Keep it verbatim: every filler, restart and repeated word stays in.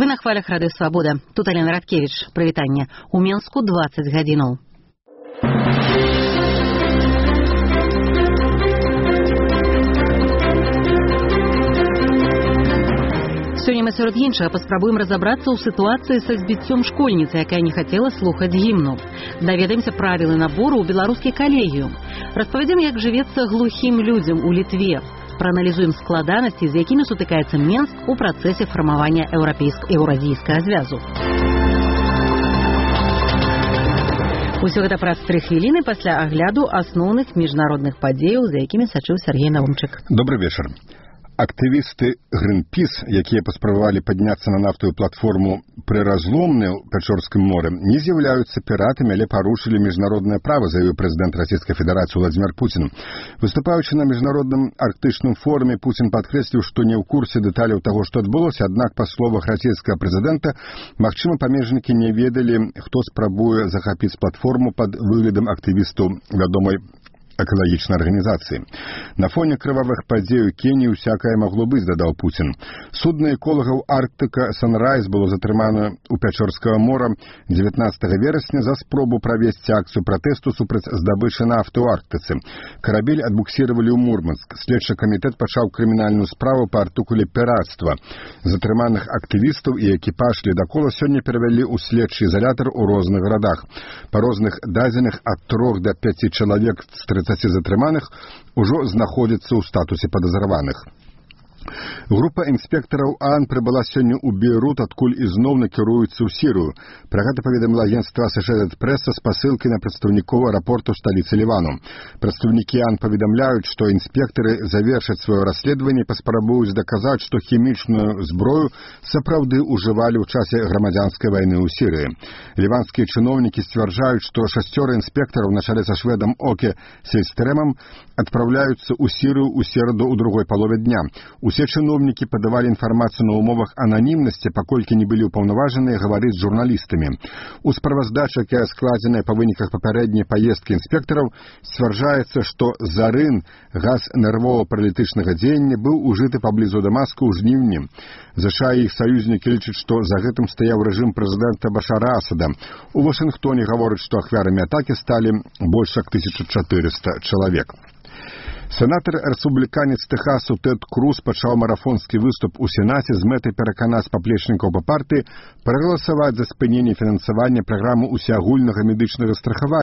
Вы на хвалях Рады Свабода. Тут Алена Радкевич. Прывітанне. У Менску дваццаць гадзінаў. Сёння мы сярод іншага паспрабуем разабрацца ў сітуацыі са збіццём школьніцы, якая не хацела слухаць гімну. Даведаемся правілы набору ў беларускі калегіум. Распавядзем, як жывецца глухім людзям у Літве. Прааналізуем складанасці, з якімі сутыкаецца Менск у працэсе фармавання еўрапейска-еўразійскага звязу. Усё гэта праз тры хвіліны пасля агляду асноўных міжнародных падзеяў, за якімі сачыў Сергей Наумчык. Добрый вечар. Актывісты Greenpeace, якія паспрабавалі падняцца на нафтавую платформу пры разломны ў Пячорскім моры, не з'яўляюцца піратамі, але парушылі міжнароднае права, заявіў прэзідэнт Расійскай Федэрацыі Владзімір Пуцін. Выступаючы на міжнародным арктычным форуме, Пуцін падкрэсліў, што не ў курсе дэталяў таго, што адбылося, аднак, па словах расійскага прэзідэнта, магчыма, памежнікі не ведалі, хто спрабуе захапіць платформу пад выглядам актывістаў вядомай экалагічнай арганізацыі. На фоне крывавых падзей у Кеніі усякае магло быць, дадаў Пуцін. Судна эколагаў Арктыка «Санрайз» было затрымана ў Пячорскага мора дзевятнаццатага верасня за спробу правесці акцыю пратэсту супраць здабычы нафты ў Арктыцы. Карабель адбуксіравалі ў Мурманск. Следчы камітэт пачаў крымінальную справу па артыкуле піратства. Затрыманых актывістаў і экіпаж ледакола сёння перавялі ў следчы ізалятар у розных гарадах. Па розных дадзеных ад трох да пяці чалавек з трыццаці затрыманых ужо знаходзіцца ў статусе падазраваных. Група інспектараў ААН прыбыла сёння ў Бейрут, адкуль ізноў накіруюцца ў Сірыю. Пра гэта паведаміла агенцтва Associated Press са спасылкай на прадстаўнікоў аэрапорту сталіцы Лівану. Прадстаўнікі ААН паведамляюць, што інспектары завершаць сваё расследаванне і паспрабуюць даказаць, што хімічную зброю сапраўды ўжывалі ў часе грамадзянскай вайны ў Сірыі. Ліванскія чыноўнікі сцвярджаюць, што шасцёра інспектараў на чале са шведам Оке Сельстрэмам адпраўляюцца ў Сірыю ў сераду ў другой палове дня. Усе чыноўнікі падавалі інфармацыю на ўмовах ананімнасці, паколькі не былі ўпаўнаважаныя гаварыць з журналістамі. У справаздачы, якая складзеная па выніках папярэдняй паездкі інспектараў, сцвярджаецца, што зарын, газ нервова-паралітычнага дзеяння, быў ужыты паблізу Дамаску ў жніўні. ЗША і іх саюзнікі лічаць, што за гэтым стаяў рэжым прэзідэнта Башара Асада. У Вашынгтоне гавораць, што ахвярамі атакі сталі больш як тысяча чатырыста чалавек. Сенатар-рэспубліканец Тэхасу Тэд Круз пачаў марафонскі выступ у Сенаце з мэтай пераканаць паплечнікаў па партыі прагаласаваць за спыненне фінансавання праграмы ўсеагульнага медычнага страхавання